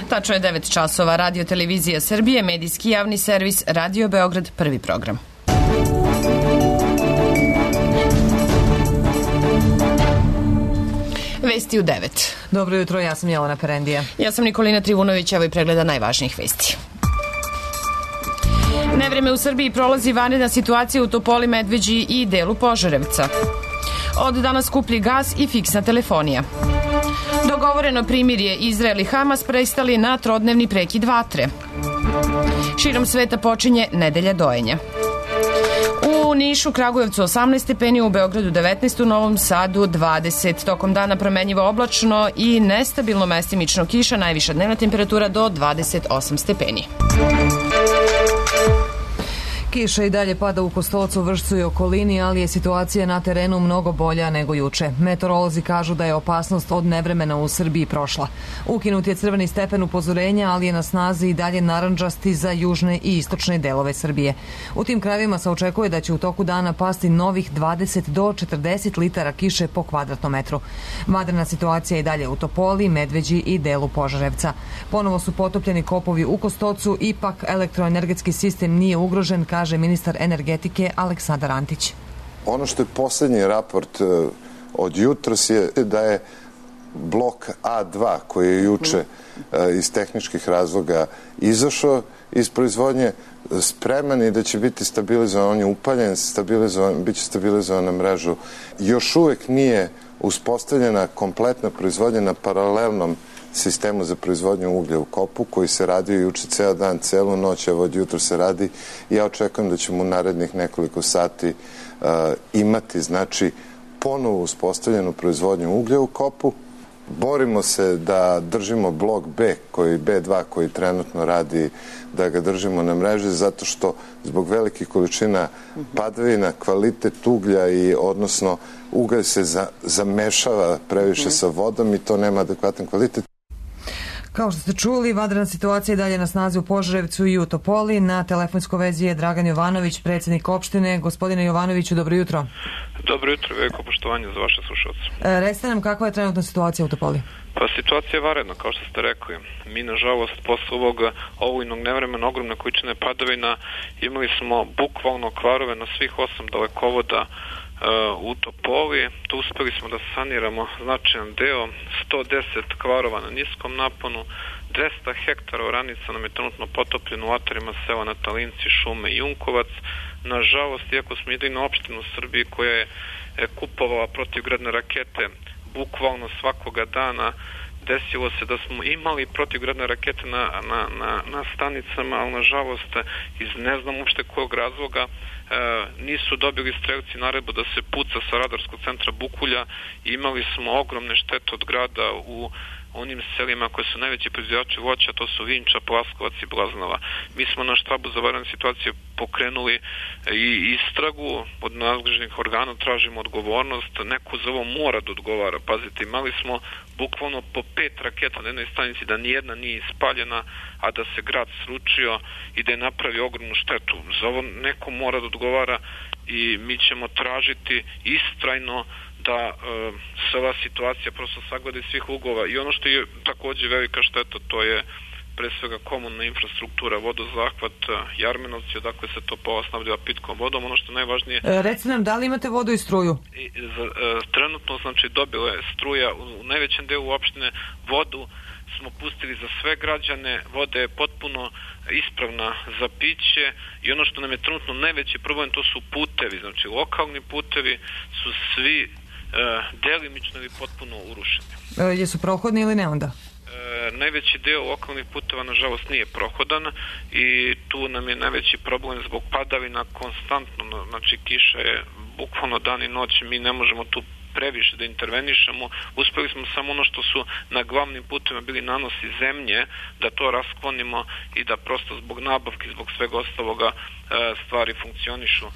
Tačno je 9 časova. Radio Televizija Srbije, medijski javni servis, Radio Beograd, prvi program. Vesti u 9. Dobro jutro, ja sam Jelena Perendija. Ja sam Nikolina Trivunović, evo i pregleda najvažnijih vesti. Nevreme u Srbiji prolazi vanredna situacija u Topoli, Medveđi i delu Požarevca. Od danas skuplji gas i fiksna telefonija. Dogovoreno primirje Izrael i Hamas prestali na trodnevni prekid vatre. Širom sveta počinje nedelja dojenja. U Nišu, Kragujevcu 18 stepeni, u Beogradu 19, u Novom Sadu 20. Tokom dana promenjivo oblačno i nestabilno mestimično kiša, najviša dnevna temperatura do 28 stepeni. Kiša i dalje pada u Kostolcu, Vršcu i okolini, ali je situacija na terenu mnogo bolja nego juče. Meteorolozi kažu da je opasnost od nevremena u Srbiji prošla. Ukinut je crveni stepen upozorenja, ali je na snazi i dalje narandžasti za južne i istočne delove Srbije. U tim krajevima se očekuje da će u toku dana pasti novih 20 do 40 litara kiše po kvadratnom metru. Vanredna situacija je i dalje u Topoli, Medveđi i delu Požarevca. Ponovo su potopljeni kopovi u Kostolcu, ipak elektroenergetski sistem nije ugrožen, kaže ministar energetike Aleksandar Antić. Ono što je poslednji raport od jutros je da je blok A2 koji je juče iz tehničkih razloga izašao iz proizvodnje spreman i da će biti stabilizovan. On je upaljen, biće stabilizovan na mrežu. Još uvek nije uspostavljena kompletna proizvodnja na paralelnom sistemu za proizvodnju uglja u kopu koji se radio juče ceo dan, celu noć, evo od jutra se radi. Ja očekujem da ćemo u narednih nekoliko sati imati, znači, ponovo uspostavljenu proizvodnju uglja u kopu. Borimo se da držimo blok B2 koji trenutno radi, da ga držimo na mreži, zato što zbog velikih količina padavina kvalitet uglja i odnosno ugalj se zamešava previše sa vodom i to nema adekvatan kvalitet. Kao što ste čuli, vanredna situacija je dalje na snazi u Požarevcu i u Topoli. Na telefonskoj vezi je Dragan Jovanović, predsjednik opštine. Gospodine Jovanoviću, dobro jutro. Dobro jutro, veliko poštovanje za vaše slušalce. Recite nam kakva je trenutna situacija u Topoli? Pa situacija je vanredna, kao što ste rekli. Mi, nažalost, posle ovog olujnog nevremena, ogromne količine padavina, imali smo bukvalno kvarove na svih 8 dalekovoda u Topoli. Tu uspeli smo da saniramo značajan deo, 110 kvarova na niskom naponu, 200 hektara oranica nam je trenutno potopljeno u atarima sela Natalinci, Šume i Junkovac. Nažalost, iako smo jedina opština u Srbiji koja je kupovala protivgradne rakete bukvalno svakoga dana, desilo se da smo imali protivgradne rakete na stanicama, ali nažalost iz ne znam uopšte kojeg razloga nisu dobili strelci naredbu da se puca sa radarskog centra Bukulja i imali smo ogromne štete od grada u onim selima koje su najveći proizvođači voća, to su Vinča, Plaskovac i Blaznava. Mi smo na štabu za vanredne situacije pokrenuli i istragu od nadležnih organa, tražimo odgovornost, neko za ovo mora da odgovara. Pazite, imali smo bukvalno po 5 raketa na jednoj stanici, da nijedna nije ispaljena, a da se grad sručio i da je napravio ogromnu štetu. Za ovo neko mora da odgovara i mi ćemo tražiti istrajno da se ova situacija prosto sagleda iz svih uglova. I ono što je takođe velika šteta, to je pre svega komunalna infrastruktura, vodozahvat, Jarmenovci, odakle se Topola snabdeva pitkom vodom. Ono što je najvažnije... Recite nam, da li imate vodu i struju? Trenutno, znači, dobila je struja u najvećem delu opštine. Vodu smo pustili za sve građane, voda je potpuno ispravna za piće i ono što nam je trenutno najveći problem, to su putevi. Znači, lokalni putevi su svi delimično ili potpuno urušeni. Jesu prohodni ili ne onda? Najveći deo lokalnih puteva nažalost nije prohodan i tu nam je najveći problem zbog padavina konstantno, znači kiša je bukvalno dan i noć, mi ne možemo tu previše da intervenišemo. Uspeli smo samo ono što su na glavnim putima bili nanosi zemlje, da to rasklonimo i da prosto zbog nabavki, zbog svega ostaloga stvari funkcionišu.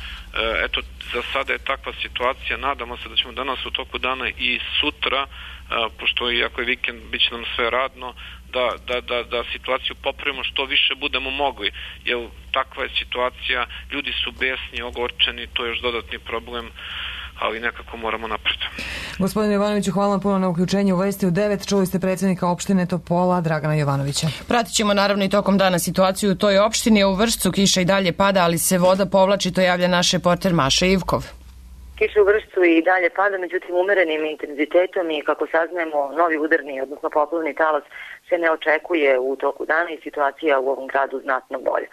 Eto, za sada je takva situacija. Nadamo se da ćemo danas u toku dana i sutra, pošto iako je vikend, bit će nam sve radno, da situaciju popravimo što više budemo mogli. Jer takva je situacija, ljudi su besni, ogorčeni, to je još dodatni problem. ali nekako moramo napred. Gospodine Jovanoviću, hvala vam puno na uključenju u Vesti u 9. Čuli ste predsjednika opštine Topola, Dragana Jovanovića. Pratit ćemo naravno i tokom dana situaciju u toj opštini. U Vršcu kiša i dalje pada, ali se voda povlači, to javlja naš reporter Maša Ivkov. Kiša u Vršcu i dalje pada, međutim umerenim intenzitetom i kako saznajemo novi udarni, odnosno poplavni talas se ne očekuje u toku dana i situacija u ovom gradu znatno bolja.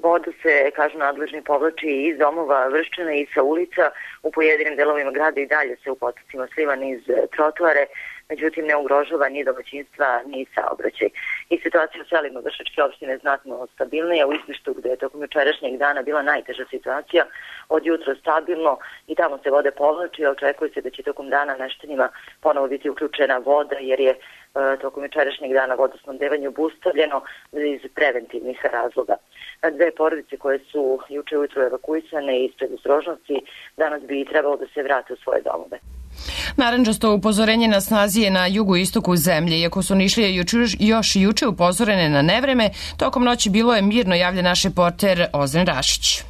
Voda se, kažu nadležni, povlači iz domova Vrščana i sa ulica. U pojedinim delovima grada i dalje se u potocima sliva niz trotoare, međutim ne ugrožava ni domaćinstva ni saobraćaj. I situacija u selima Vršačke opštine je znatno stabilnija. U Izbištu, gde je tokom jučerašnjeg dana bila najteža situacija, od jutra stabilno i tamo se vode povlači, a očekuje se da će tokom dana meštanima ponovo biti uključena voda, jer je tokom jučerašnjeg dana vodosnabdevanje obustavljeno iz preventivnih razloga. Dve porodice koje su juče ujutro evakuisane iz predostrožnosti danas bi trebalo da se vrate u svoje domove. Narandžasto upozorenje na snazi je na jugoistoku zemlje. Iako su Nišlije još juče upozorene na nevreme, tokom noći bilo je mirno, javlja naš reporter Ozren Rašić.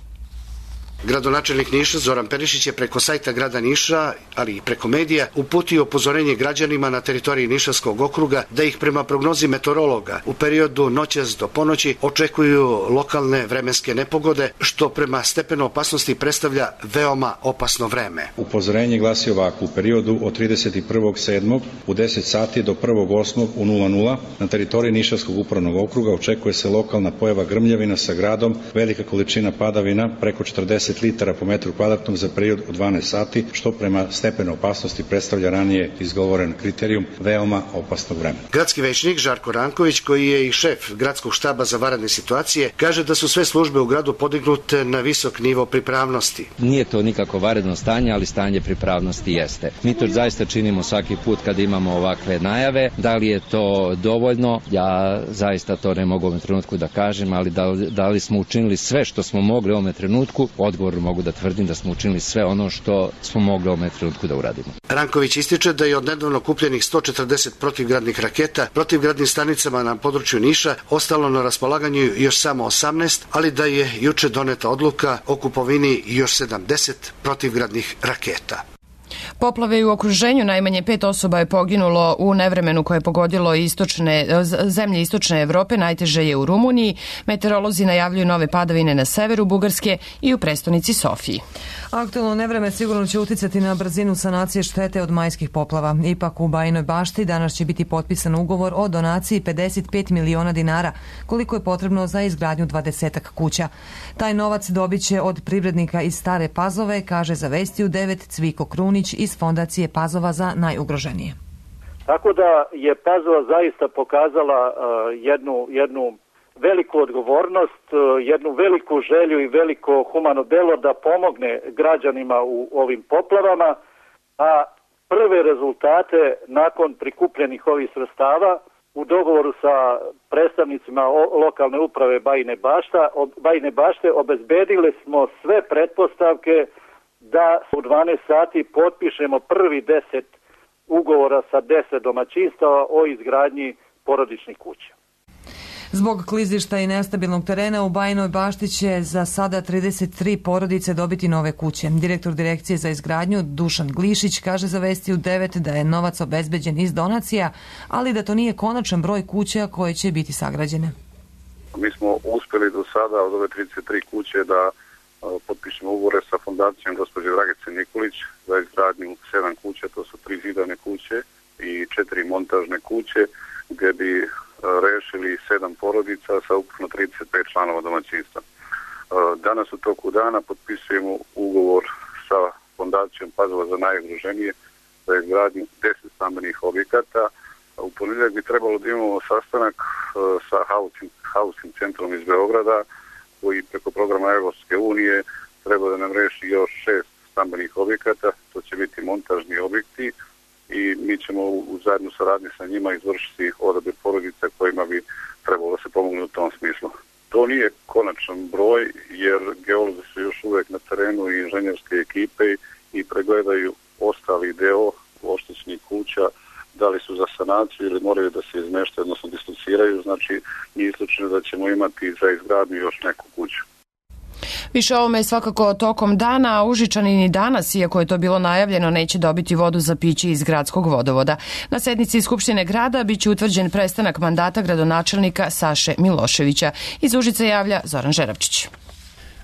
Gradonačelnik Niša Zoran Perišić je preko sajta grada Niša, ali i preko medija, uputio upozorenje građanima na teritoriji Nišavskog okruga da ih prema prognozi meteorologa u periodu noćas do ponoći očekuju lokalne vremenske nepogode, što prema stepenu opasnosti predstavlja veoma opasno vreme. Upozorenje glasi ovako: u periodu od 31.7. u 10 sati do 1.8. u 00 na teritoriji Nišavskog upravnog okruga očekuje se lokalna pojava grmljavina sa gradom, velika količina padavina preko 40 litara po metru kvadratnom za period od 12 sati, što prema stepenu opasnosti predstavlja ranije izgovoren kriterijum veoma opasnog vremena. Gradski većnik Žarko Ranković, koji je i šef gradskog štaba za vanredne situacije, kaže da su sve službe u gradu podignute na visok nivo pripravnosti. Nije to nikako vanredno stanje, ali stanje pripravnosti jeste. Mi to zaista činimo svaki put kada imamo ovakve najave. Da li je to dovoljno? Ja zaista to ne mogu u ovom trenutku da kažem, ali da li smo učinili sve što smo mogli u ovom trenutku? Odgovor mogu da tvrdim da smo učinili sve ono što smo mogli u ovom trenutku da uradimo. Ranković ističe da je od nedavno kupljenih 140 protivgradnih raketa protivgradnim stanicama na području Niša ostalo na raspolaganju još samo 18, ali da je juče doneta odluka o kupovini još 70 protivgradnih raketa. Poplave u okruženju, najmanje 5 osoba je poginulo u nevremenu koje je pogodilo zemlje istočne Evrope, najteže je u Rumuniji. Meteorolozi najavljuju nove padavine na severu Bugarske i u prestonici Sofiji. Aktualno nevreme sigurno će uticati na brzinu sanacije štete od majskih poplava. Ipak u Bajinoj Bašti danas će biti potpisan ugovor o donaciji 55 miliona dinara, koliko je potrebno za izgradnju 20 kuća. Taj novac dobit će od privrednika iz Stare Pazove, kaže za Vesti u 9 Cviko Krunić iz Fondacije Pazova za najugroženije. Tako da je Pazova zaista pokazala jednu veliku odgovornost, jednu veliku želju i veliko humano delo da pomogne građanima u ovim poplavama, a prve rezultate nakon prikupljenih ovih sredstava u dogovoru sa predstavnicima lokalne uprave Bajine Bašte obezbedili smo sve pretpostavke da u 12 sati potpišemo prvi 10 ugovora sa 10 domaćinstava o izgradnji porodičnih kuća. Zbog klizišta i nestabilnog terena u Bajinoj Bašti će za sada 33 porodice dobiti nove kuće. Direktor Direkcije za izgradnju Dušan Glišić kaže za Vesti u 9 da je novac obezbeđen iz donacija, ali da to nije konačan broj kuća koje će biti sagrađene. Mi smo uspjeli do sada od ove 33 kuće da potpišemo ugovore sa fondacijom gospođe Dragice Nikolić za izgradnju 7 kuća, to su 3 zidane kuće i 4 montažne kuće, gdje bi rešili 7 porodica sa ukupno 35 članova domaćinstva. Danas u toku dana potpisujemo ugovor sa Fondacijom Pazova za najugroženije za izgradnju 10 stambenih objekata. U ponedjeljak bi trebalo da imamo sastanak sa Housing centrom iz Beograda, koji preko programa Evropske unije treba da nam reši još 6 stambenih objekata. To će biti montažni objekti i mi ćemo u zajedno saradnji sa njima izvršiti odabir porodica kojima bi trebalo da se pomogne u tom smislu. To nije konačan broj, jer geolozi su još uvek na terenu i inženjerske ekipe i pregledaju ostali deo oštećenih kuća, da li su za sanaciju ili moraju da se izmeštaju, odnosno dislociraju, znači nije isključeno da ćemo imati za izgradnju još neku kuću. Više o ovome je svakako tokom dana, a Užičani ni danas, iako je to bilo najavljeno, neće dobiti vodu za piće iz gradskog vodovoda. Na sednici Skupštine grada biće utvrđen prestanak mandata gradonačelnika Saše Miloševića. Iz Užica javlja Zoran Žeravčić.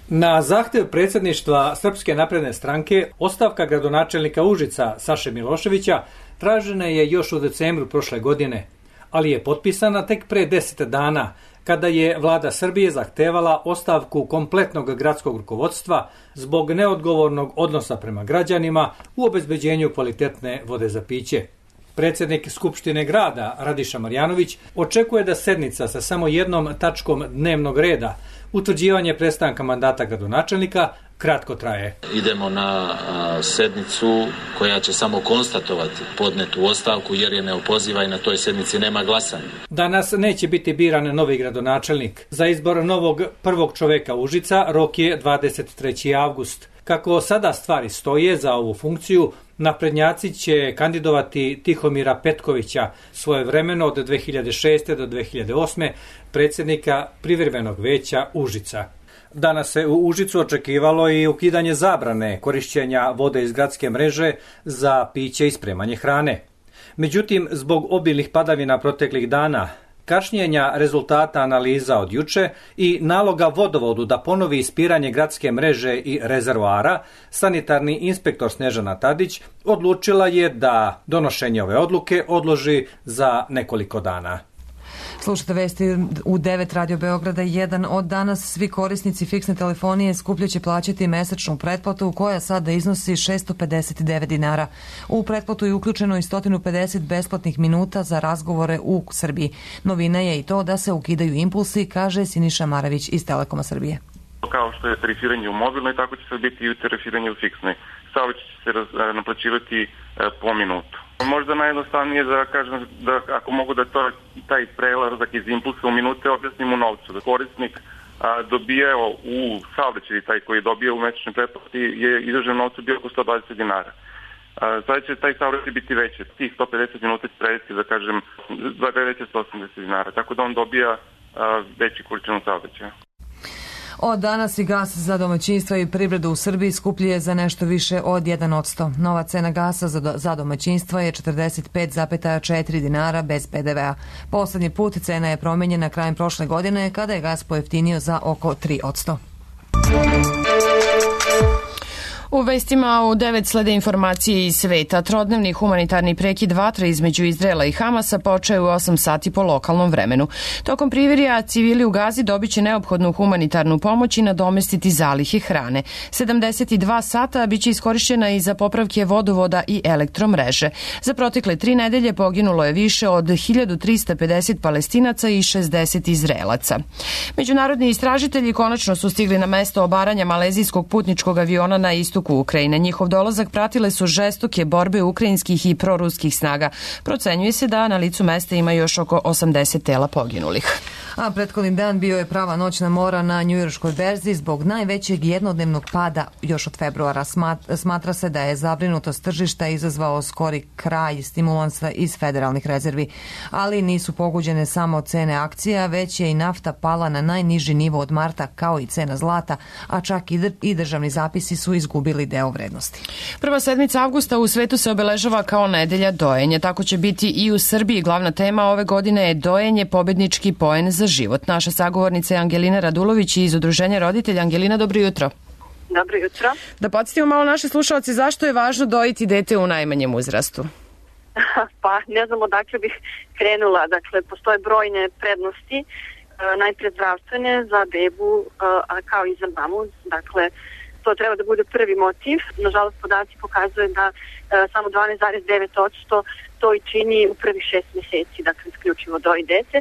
Na zahtev predsjedništva Srpske napredne stranke, ostavka gradonačelnika Užica Saše Miloševića tražena je još u decembru prošle godine, ali je potpisana tek pre 10 dana, kada je vlada Srbije zahtevala ostavku kompletnog gradskog rukovodstva zbog neodgovornog odnosa prema građanima u obezbeđenju kvalitetne vode za piće. Predsjednik Skupštine grada Radiša Marjanović očekuje da sednica sa samo jednom tačkom dnevnog reda, utvrđivanje prestanka mandata gradonačelnika, kratko traje. Idemo na sednicu koja će samo konstatovati podnetu ostavku jer je neopoziva i na toj sednici nema glasanja. Danas neće biti biran novi gradonačelnik. Za izbor novog prvog čoveka Užica rok je 23. avgust. Kako sada stvari stoje za ovu funkciju, naprednjaci će kandidovati Tihomira Petkovića, svojevremeno od 2006. do 2008. predsjednika privremenog veća Užica. Danas se u Užicu očekivalo i ukidanje zabrane korišćenja vode iz gradske mreže za piće i spremanje hrane. Međutim, zbog obilnih padavina proteklih dana, kašnjenja rezultata analiza od juče i naloga vodovodu da ponovi ispiranje gradske mreže i rezervoara, sanitarni inspektor Snežana Tadić odlučila je da donošenje ove odluke odloži za nekoliko dana. Slušajte vesti u 9 Radio Beograda 1. Od danas svi korisnici fiksne telefonije skuplje će plaćati mesečnu pretplatu koja sada iznosi 659 dinara. U pretplatu je uključeno i 150 besplatnih minuta za razgovore u Srbiji. Novina je i to da se ukidaju impulsi, kaže Siniša Maravić iz Telekoma Srbije. Kao što je tarifiranje u mobilnoj, tako će se biti i tarifiranje u fiksnoj. Saobraćaj će se naplaćivati po minutu. Možda najjednostavnije da kažem da ako mogu da taj prelazak iz impulsa u minute objasnim u novcu. Da korisnik dobijao u saobraćaju, taj koji je dobio u mesečnoj pretplati je izražen novcu bio oko 120 dinara. Sada će taj saobraćaj biti veći. Tih 150 minuta će prevesti, da kažem, za 180 dinara. Tako da on dobija veći količinu saobraćaja. Od danas i gas za domaćinstva i privredu u Srbiji skuplji je za nešto više od 1%. Nova cena gasa za domaćinstva je 45,4 dinara bez PDV-a. Poslednji put cena je promenjena krajem prošle godine kada je gas pojeftinio za oko 3%. U vestima u 9 slede informacije iz sveta. Trodnevni humanitarni prekid vatre između Izraela i Hamasa počeo je u 8 sati po lokalnom vremenu. Tokom privirja civili u Gazi dobiće neophodnu humanitarnu pomoć i nadomestiti zalihe hrane. 72 sata biće iskorišćena i za popravke vodovoda i elektromreže. Za protekle 3 nedelje poginulo je više od 1350 Palestinaca i 60 Izraelaca. Međunarodni istražitelji konačno su stigli na mesto obaranja malezijskog putničkog aviona na istoku Ukrajine. Njihov dolazak pratile su žestoke borbe ukrajinskih i proruskih snaga. Procenjuje se da na licu mesta ima još oko 80 tela poginulih. A prethodni dan bio je prava noćna mora na njujorškoj berzi zbog najvećeg jednodnevnog pada još od februara. Smatra se da je zabrinutost tržišta izazvao skori kraj stimulansa iz federalnih rezervi. Ali nisu pogođene samo cene akcija, već je i nafta pala na najniži nivo od marta, kao i cena zlata, a čak i državni zapisi su izgubili deo vrednosti. Prva sedmica avgusta u svetu se obeležava kao nedelja dojenja. Tako će biti i u Srbiji. Glavna tema ove godine je dojenje, pobednički poen za život. Naša sagovornica je Angelina Radulović iz Udruženja roditelja. Angelina, dobro jutro. Dobro jutro. Da podsjetimo malo naše slušalce zašto je važno dojiti dete u najmanjem uzrastu. Pa ne znam odakle bih krenula. Dakle, postoje brojne prednosti, najpre zdravstvene za bebu, a kao i za mamu. Dakle, to treba da bude prvi motiv. Nažalost, podaci pokazuje da samo 12,9% to i čini u prvih 6 meseci, dakle, isključivo doji dete.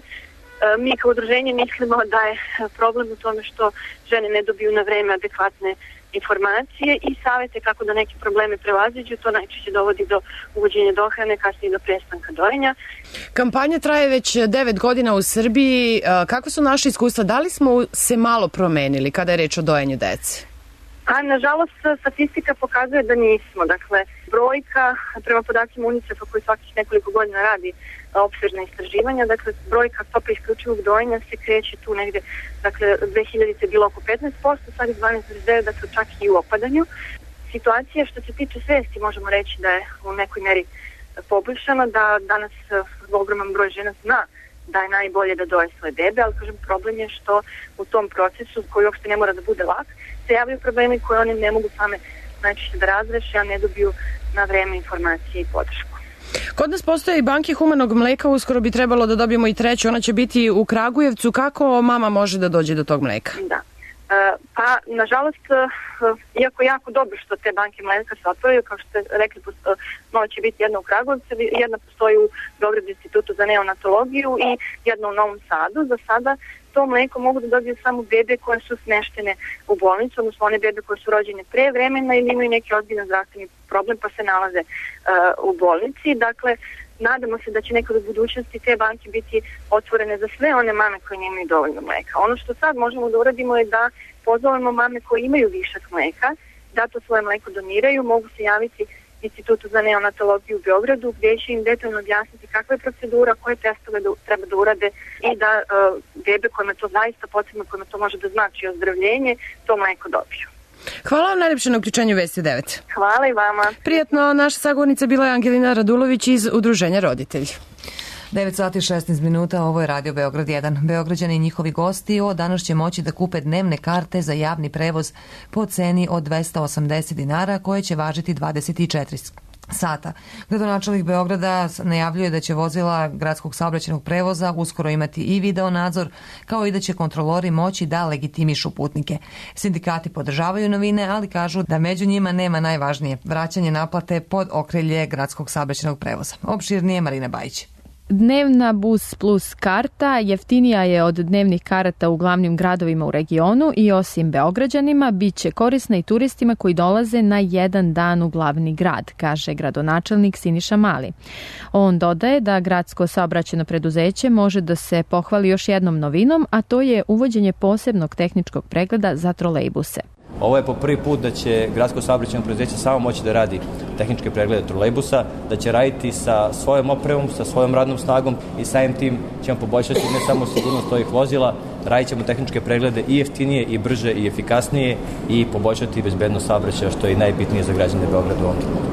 Mi kao udruženje mislimo da je problem u tome što žene ne dobiju na vreme adekvatne informacije i savete kako da neke probleme prevaziđu. To najčešće dovodi do uvođenja dohrane, kasnije do prestanka dojenja. Kampanja traje već 9 godina u Srbiji. Kako su naše iskustva? Da li smo se malo promenili kada je reč o dojenju dece? A nažalost statistika pokazuje da nismo. Dakle, brojka, prema podacima UNICEF-a koji svakih nekoliko godina radi opsežna istraživanja, dakle brojka stope isključivog dojenja se kreće tu negde, dakle 2000 je bilo oko 15%, sad je 12,9%, dakle čak i u opadanju. Situacija što se tiče svesti možemo reći da je u nekoj meri poboljšana, da danas ogroman broj žena zna da je najbolje da doje svoje bebe, ali kažem problem je što u tom procesu koji uopšte ne mora da bude lak, se javljaju problemi koje oni ne mogu same najčešće da razreše, a ne dobiju na vreme informacije i podršku. Kod nas postoje i banke humanog mleka, uskoro bi trebalo da dobijemo i treću, ona će biti u Kragujevcu. Kako mama može da dođe do tog mleka? Da. Pa, nažalost, iako jako dobro što te banke mleka se otvoraju, kao što ste rekli, nova će biti jedna u Kragujevcu, jedna postoji u Beogradu institutu za neonatologiju i jedna u Novom Sadu. Za sada to mleko mogu da dobiju samo bebe koje su smeštene u bolnicu, odnosno one bebe koje su rođene pre vremena ili imaju neki ozbiljan zdravstveni problem pa se nalaze u bolnici. Dakle, nadamo se da će nekad u budućnosti te banke biti otvorene za sve one mame koje nemaju dovoljno mleka. Ono što sad možemo da uradimo je da pozovemo mame koje imaju višak mleka, da to svoje mleko doniraju, mogu se javiti Institutu za neonatologiju u Beogradu gdje će im detaljno objasniti kakva je procedura, koje testove treba da urade i da bebe kojima to zaista potrebno, kojima to može da znači ozdravljenje, to mleko dobiju. Hvala vam najlepše na uključenju Vesti 9. Hvala i vama. Prijetno, naša sagovornica bila je Angelina Radulović iz Udruženja Roditelji. 9 sati 16 minuta, ovo je Radio Beograd 1. Beograđani i njihovi gosti od danas će moći da kupe dnevne karte za javni prevoz po ceni od 280 dinara koje će važiti 24 sata. Gradonačelnik Beograda najavljuje da će vozila gradskog saobraćajnog prevoza uskoro imati i video nadzor, kao i da će kontrolori moći da legitimišu putnike. Sindikati podržavaju novine, ali kažu da među njima nema najvažnije vraćanje naplate pod okrilje gradskog saobraćajnog prevoza. Opširnije Marina Bajić. Dnevna Bus Plus karta jeftinija je od dnevnih karata u glavnim gradovima u regionu i osim Beograđanima bit će korisna i turistima koji dolaze na jedan dan u glavni grad, kaže gradonačelnik Siniša Mali. On dodaje da gradsko saobraćajno preduzeće može da se pohvali još jednom novinom, a to je uvođenje posebnog tehničkog pregleda za trolejbuse. Ovo je po prvi put da će gradsko saobraćajno preduzeće samo moći da radi tehničke preglede trolejbusa, da će raditi sa svojom opremom, sa svojom radnom snagom i samim tim ćemo poboljšati ne samo sigurnost ovih vozila, radit ćemo tehničke preglede i jeftinije, i brže, i efikasnije i poboljšati bezbednost saobraćaja, što je i najbitnije za građane Beograda u ovom trenutku.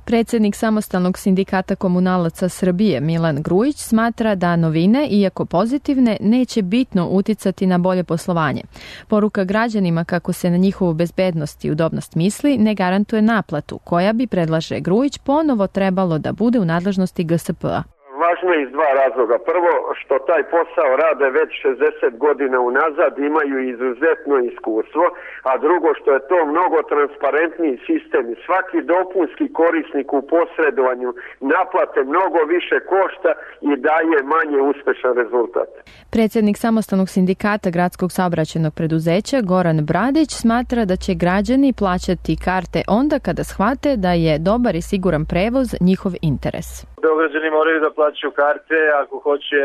Predsednik Samostalnog sindikata komunalaca Srbije Milan Grujić smatra da novine, iako pozitivne, neće bitno uticati na bolje poslovanje. Poruka građanima kako se na njihovu bezbednost i udobnost misli ne garantuje naplatu, koja bi, predlaže Grujić, ponovo trebalo da bude u nadležnosti GSP-a. Važno je iz dva razloga. Prvo, što taj posao rade već 60 godina unazad, imaju izuzetno iskustvo, a drugo, što je to mnogo transparentniji sistem i svaki dopunski korisnik u posredovanju naplate mnogo više košta i daje manje uspešan rezultat. Predsednik Samostalnog sindikata gradskog saobraćajnog preduzeća Goran Bradić smatra da će građani plaćati karte onda kada shvate da je dobar i siguran prevoz njihov interes. Beograđani moraju da plaćaju karte ako hoće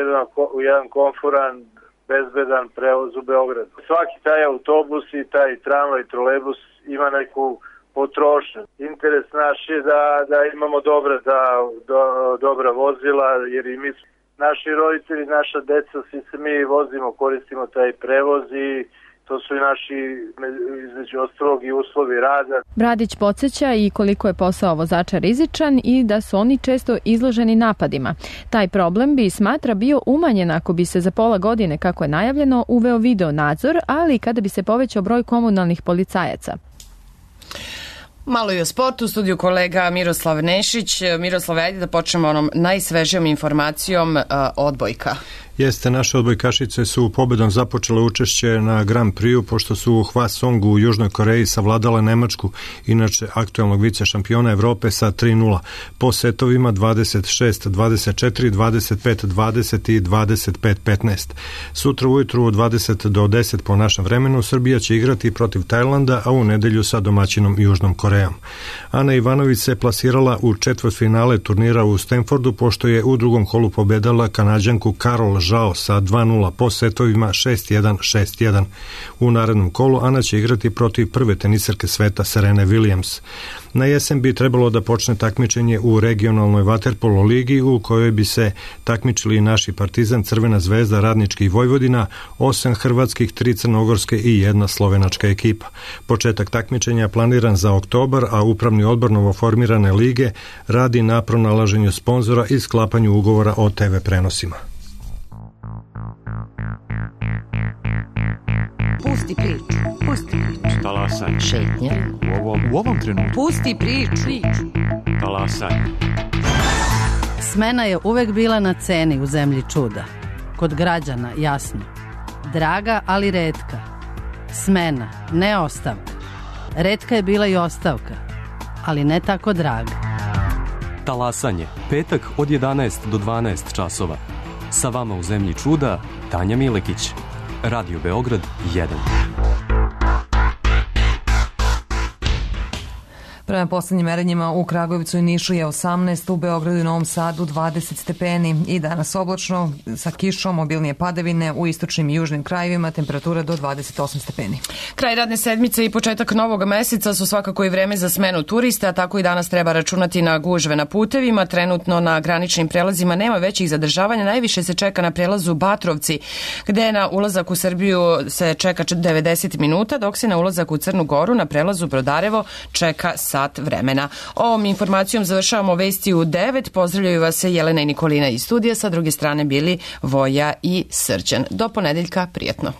jedan komforan, bezbedan prevoz u Beogradu. Svaki taj autobus i taj tramvaj i trolejbus ima neku potrošnju. Interes naš je da imamo dobra vozila, jer i mi, naši roditelji, naša deca, svi se mi vozimo, koristimo taj prevoz i to su i naši, između ostalog, i uslovi rada. Bradić podsjeća i koliko je posao vozača rizičan i da su oni često izloženi napadima. Taj problem bi, smatra, bio umanjen ako bi se za pola godine, kako je najavljeno, uveo video nadzor, ali kada bi se povećao broj komunalnih policajaca. Malo i o sportu, u studiju kolega Miroslav Nešić. Miroslav, ajde da počnemo onom najsvežijom informacijom odbojka. Jeste, naše odbojkašice su pobedom započele učešće na Grand Prixu, pošto su u Hwasongu u Južnoj Koreji savladale Nemačku, inače aktuelnog vice šampiona Evrope, sa 3-0. Po setovima 26-24, 25-20 i 25-15. Sutra ujutru od 20 do 10 po našem vremenu Srbija će igrati protiv Tajlanda, a u nedelju sa domaćinom Južnom Korejom. Ana Ivanović se plasirala u četvrtfinale turnira u Stanfordu, pošto je u drugom kolu pobedala Kanađanku Karol Žao sa 2-0 po setovima 6-1, 6-1. U narednom kolu Ana će igrati protiv prve teniserke sveta Serene Williams. Na jesen bi trebalo da počne takmičenje u regionalnoj vaterpolo ligi u kojoj bi se takmičili naši Partizan, Crvena zvezda, Radnički i Vojvodina, 8 hrvatskih, 3 crnogorske i 1 slovenačka ekipa. Početak takmičenja planiran za oktobar, a upravni odbor novoformirane lige radi na pronalaženju sponzora i sklapanju ugovora o TV prenosima. Pusti priču, pusti priču. Talasaj. Šetnja. U ovom trenutku. Pusti priču. Talasaj. Smena je uvek bila na ceni u zemlji čuda. Kod građana, jasno. Draga, ali retka. Smena, ne ostavka. Retka je bila i ostavka, ali ne tako draga. Talasanje. Petak od 11 do 12 časova. Sa vama u zemlji čuda, Tanja Milekić. Radio Beograd 1. Prema poslednjim merenjima u Kragujevcu i Nišu je 18, u Beogradu i Novom Sadu 20 stepeni i danas oblačno sa kišom, obilnije padavine u istočnim i južnim krajevima, temperatura do 28 stepeni. Kraj radne sedmice i početak novog meseca su svakako i vreme za smenu turista, tako i danas treba računati na gužve na putevima. Trenutno na graničnim prelazima nema većih zadržavanja, najviše se čeka na prelazu Batrovci, gde na ulazak u Srbiju se čeka 90 minuta, dok se na ulazak u Crnu Goru na prelazu Brodarevo čeka sat vremena. Ovom informacijom završavamo vesti u 9. Pozdravljaju vas se Jelena i Nikolina iz studija, sa druge strane bili Voja i Srđan. Do ponedeljka, prijatno.